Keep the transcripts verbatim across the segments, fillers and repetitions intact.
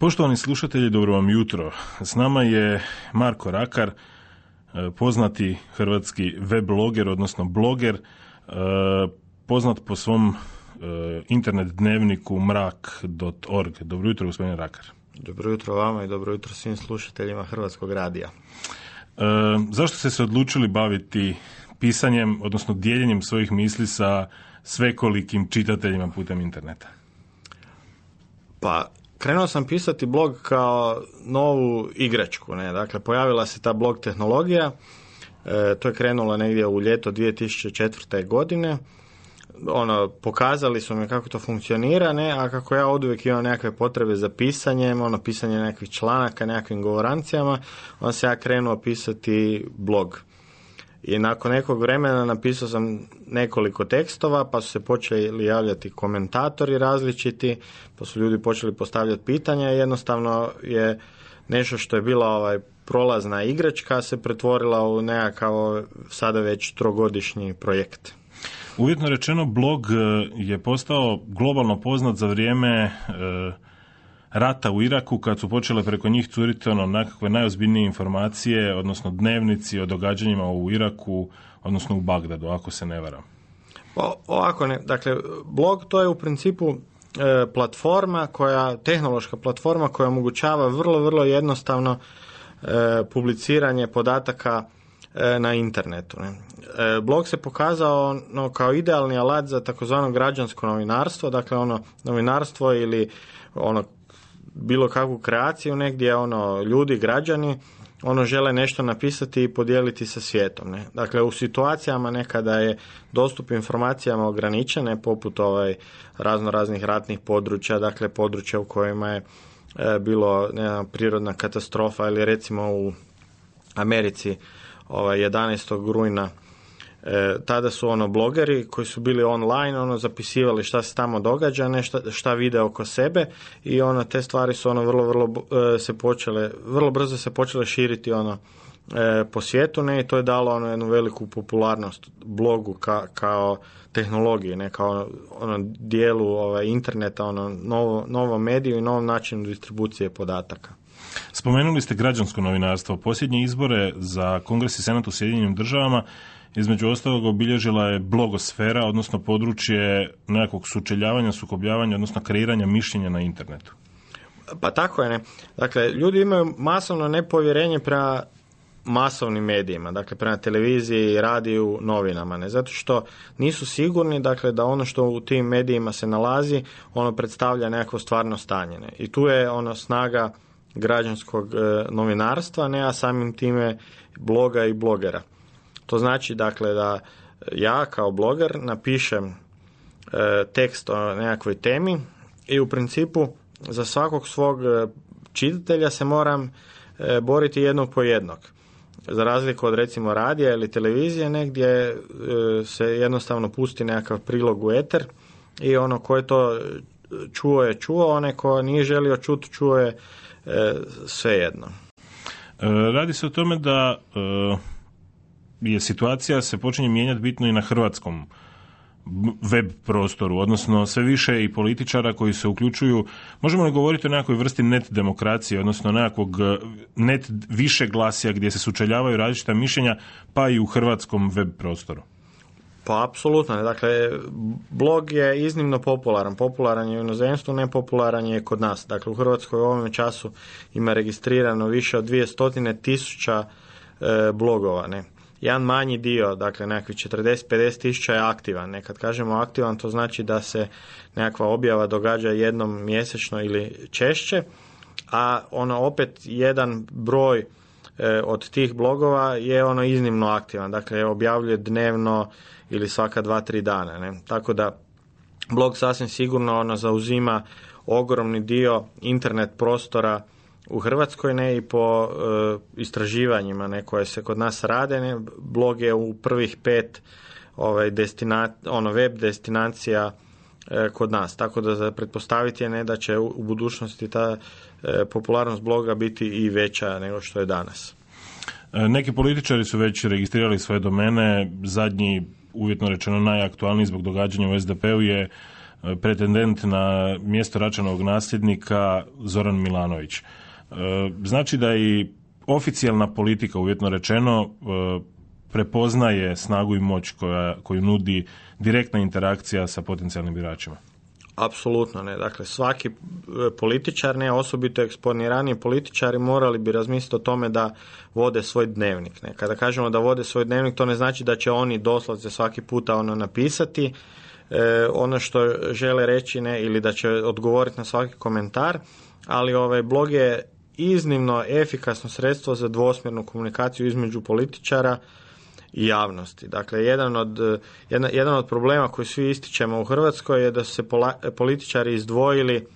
Poštovani slušatelji, dobro vam jutro. S nama je Marko Rakar, poznati hrvatski web bloger, odnosno bloger, poznat po svom internet dnevniku mrak dot org. Dobro jutro, gospodine Rakar. Dobro jutro vama i dobro jutro svim slušateljima Hrvatskog radija. E, zašto ste se odlučili baviti pisanjem, odnosno dijeljenjem svojih misli sa svekolikim čitateljima putem interneta? Pa, krenuo sam pisati blog kao novu igračku. Ne? Dakle, pojavila se ta blog tehnologija. E, to je krenulo negdje u ljeto dvije tisuće četvrte. godine. Ono, pokazali su mi kako to funkcionira, ne, a kako ja oduvijek imam nekakve potrebe za pisanjem, ono, pisanje nekakvih članaka, nekakvim govorancijama, onda se ja krenuo pisati blog. I nakon nekog vremena napisao sam nekoliko tekstova, pa su se počeli javljati komentatori različiti, pa su ljudi počeli postavljati pitanja i jednostavno je nešto što je bila ovaj prolazna igračka se pretvorila u nekakav sada već trogodišnji projekt. Uvjetno rečeno, blog je postao globalno poznat za vrijeme e, rata u Iraku, kad su počele preko njih curiti ono nekakve najozbiljnije informacije, odnosno dnevnici o događanjima u Iraku, odnosno u Bagdadu, ako se ne varam. O, ovako ne, dakle, blog to je u principu e, platforma koja, tehnološka platforma koja omogućava vrlo, vrlo jednostavno e, publiciranje podataka na internetu. Ne. Blog se pokazao no, kao idealni alat za takozvano građansko novinarstvo, dakle ono novinarstvo ili ono bilo kakvu kreaciju negdje ono ljudi, građani, ono žele nešto napisati i podijeliti sa svijetom. Ne. Dakle, u situacijama nekada je dostup informacijama ograničene, poput ovaj razno raznih ratnih područja, dakle područja u kojima je e, bilo ne znam, prirodna katastrofa ili recimo u Americi ovaj jedanaestog rujna e, tada su ono blogeri koji su bili online, ono zapisivali šta se tamo događa, ne šta, šta vide oko sebe i ono te stvari su ono vrlo vrlo e, se počele vrlo brzo se počele širiti ono e, po svijetu, ne, i to je dalo ono jednu veliku popularnost blogu ka, kao tehnologiji, ne, kao ono dijelu ovaj interneta, ono novo novo mediju i novom načinu distribucije podataka. Spomenuli ste građansko novinarstvo. Posljednje izbore za Kongres i Senat u Sjedinjenim državama između ostalog obilježila je blogosfera, odnosno područje nekakvog sučeljavanja, sukobljavanja, odnosno kreiranja mišljenja na internetu. Pa tako je, ne. Dakle, ljudi imaju masovno nepovjerenje prema masovnim medijima, dakle prema televiziji, radiju, novinama, ne, zato što nisu sigurni, dakle, da ono što u tim medijima se nalazi, ono predstavlja nekakvo stvarno stanje, ne. I tu je ono snaga građanskog e, novinarstva, ne, a samim time bloga i blogera. To znači, dakle, da ja kao bloger napišem e, tekst o nekakvoj temi i u principu za svakog svog e, čitatelja se moram e, boriti jednog po jednog. Za razliku od recimo radija ili televizije, negdje e, se jednostavno pusti nekakav prilog u eter i ono ko je to čuo je čuo, onaj ko nije želio čuti čuo je E, svejedno. E, radi se o tome da e, je situacija se počinje mijenjati bitno i na hrvatskom web prostoru, odnosno sve više i političara koji se uključuju. Možemo li govoriti o nekakvoj vrsti net demokracije, odnosno nekakvog net više glasija gdje se sučeljavaju različita mišljenja, pa i u hrvatskom web prostoru? Pa apsolutno. Dakle, blog je iznimno popularan. Popularan je u inozemstvu, nepopularan je kod nas. Dakle, u Hrvatskoj u ovom času ima registrirano više od dvjesto tisuća e, blogova. Ne. Jedan manji dio, dakle nekakvih četrdeset do pedeset tisuća je aktivan. Ne. Kad kažemo aktivan, to znači da se nekakva objava događa jednom mjesečno ili češće, a ono opet jedan broj e, od tih blogova je ono iznimno aktivan. Dakle, objavljuje dnevno ili svaka dva, tri dana. Ne? Tako da blog sasvim sigurno ono zauzima ogromni dio internet prostora u Hrvatskoj, ne, i po e, istraživanjima ne, koje se kod nas rade. Ne? Blog je u prvih pet ovaj, destina, ono, web destinacija e, kod nas. Tako da za pretpostaviti je ne, da će u, u budućnosti ta e, popularnost bloga biti i veća nego što je danas. Neki političari su već registrirali svoje domene. Zadnji, uvjetno rečeno najaktualniji zbog događanja u es de pe u je pretendent na mjesto Račanovog nasljednika Zoran Milanović. Znači da i oficijalna politika, uvjetno rečeno, prepoznaje snagu i moć koja, koju nudi direktna interakcija sa potencijalnim biračima. Apsolutno ne. Dakle, svaki političar, ne osobito eksponiraniji političari, morali bi razmisliti o tome da vode svoj dnevnik. Ne. Kada kažemo da vode svoj dnevnik, to ne znači da će oni doslovce svaki puta ono napisati e, ono što žele reći, ne, ili da će odgovoriti na svaki komentar, ali ovaj blog je iznimno efikasno sredstvo za dvosmjernu komunikaciju između političara i javnosti. Dakle, jedan od, jedan, jedan od problema koji svi ističemo u Hrvatskoj je da su se pola, političari izdvojili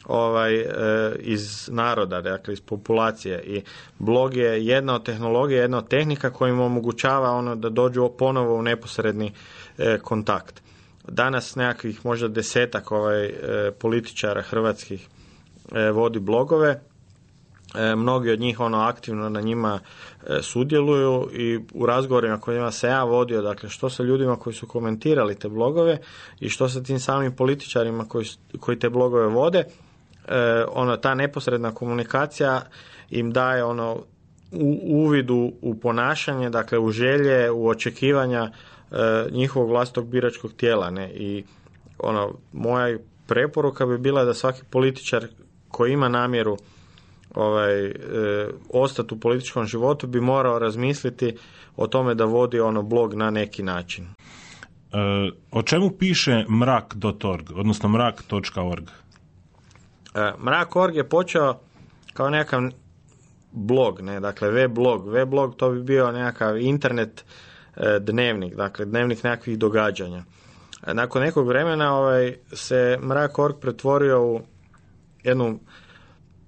ovaj, e, iz naroda, dakle iz populacije, i blog je jedna od tehnologija, jedna od tehnika koja im omogućava ono da dođu ponovo u neposredni e, kontakt. Danas nekakvih možda desetak ovaj, e, političara hrvatskih e, vodi blogove. E, mnogi od njih ono aktivno na njima e, sudjeluju, i u razgovorima kojima se ja vodio, dakle što sa ljudima koji su komentirali te blogove i što sa tim samim političarima koji, koji te blogove vode, e, ono, ta neposredna komunikacija im daje ono u, uvidu u ponašanje, dakle u želje, u očekivanja e, njihovog vlastitog biračkog tijela, ne? I ono, moja preporuka bi bila da svaki političar koji ima namjeru ovaj, e, ostati u političkom životu bi morao razmisliti o tome da vodi ono blog na neki način. E, o čemu piše mrak dot org, odnosno mrak dot org? E, mrak dot org je počeo kao nekakav blog, ne, dakle web blog. Web blog to bi bio nekakav internet e, dnevnik, dakle dnevnik nekakvih događanja. E, nakon nekog vremena ovaj, se mrak dot org pretvorio u jednu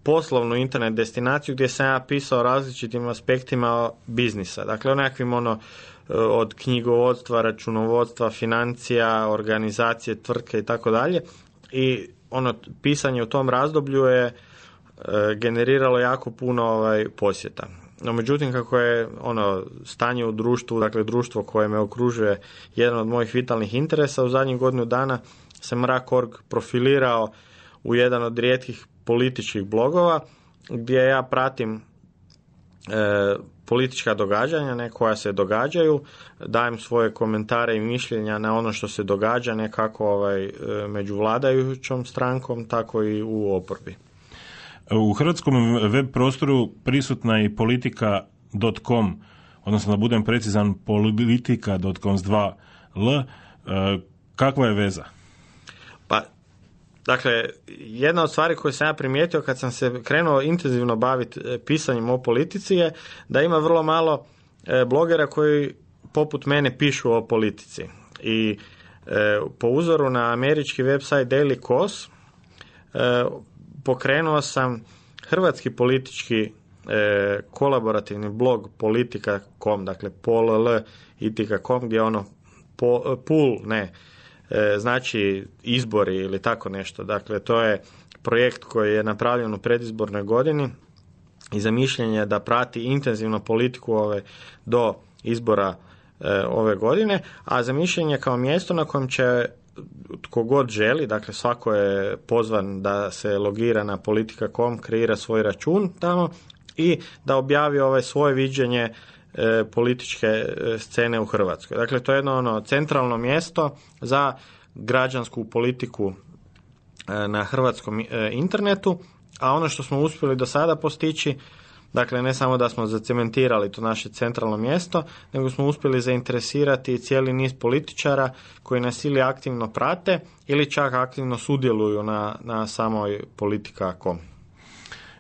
poslovnu internet destinaciju gdje sam ja pisao o različitim aspektima biznisa. Dakle, o nekakvim ono, od knjigovodstva, računovodstva, financija, organizacije, tvrtke i tako dalje. I ono, pisanje u tom razdoblju je e, generiralo jako puno ovaj, posjeta. No, međutim, kako je ono stanje u društvu, dakle društvo koje me okružuje, jedan od mojih vitalnih interesa, u zadnjih godinu dana se mrak dot org profilirao u jedan od rijetkih političkih blogova gdje ja pratim e, politička događanja, ne, koja se događaju, dajem svoje komentare i mišljenja na ono što se događa, ne kako ovaj, e, među vladajućom strankom, tako i u oporbi. U hrvatskom web prostoru prisutna je i politika dot com, odnosno da budem precizan, politika dot com s dva L. E, kakva je veza? Pa, dakle, jedna od stvari koje sam ja primijetio kad sam se krenuo intenzivno baviti pisanjem o politici je da ima vrlo malo e, blogera koji poput mene pišu o politici. I e, po uzoru na američki website Daily Kos e, pokrenuo sam hrvatski politički e, kolaborativni blog politika dot com, dakle pol itika dot com, gdje ono po, pool, ne, e, znači izbori ili tako nešto. Dakle, to je projekt koji je napravljen u predizbornoj godini i zamišljen je da prati intenzivno politiku ove, do izbora e, ove godine, a zamišljen je kao mjesto na kojem će tko god želi, dakle svako je pozvan da se logira na politika dot com, kreira svoj račun tamo i da objavi ovaj svoje viđenje e, političke e, scene u Hrvatskoj. Dakle, to je jedno ono centralno mjesto za građansku politiku e, na hrvatskom e, internetu, a ono što smo uspjeli do sada postići, dakle ne samo da smo zacementirali to naše centralno mjesto, nego smo uspjeli zainteresirati cijeli niz političara koji nas ili aktivno prate ili čak aktivno sudjeluju na, na samoj politika dot com.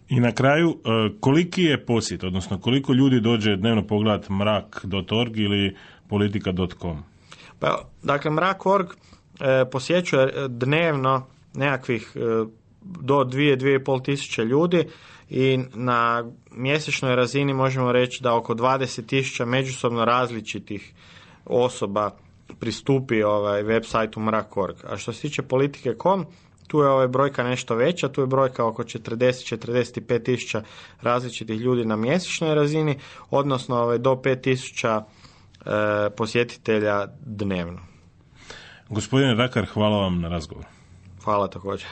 I na kraju, koliki je posjet, odnosno koliko ljudi dođe dnevno pogledati mrak dot org ili politika dot com? Pa, dakle, mrak dot org e, posjećuje dnevno nekakvih e, do dvije, dvije i pol tisuće ljudi i na mjesečnoj razini možemo reći da oko dvadeset tisuća međusobno različitih osoba pristupi ovaj web sajtu mrak dot org. A što se tiče politike dot com, tu je ovaj brojka nešto veća, tu je brojka oko četrdeset do četrdeset pet tisuća različitih ljudi na mjesečnoj razini, odnosno ovaj, do pet tisuća e, posjetitelja dnevno. Gospodine Rakar, hvala vam na razgovor. Hvala također.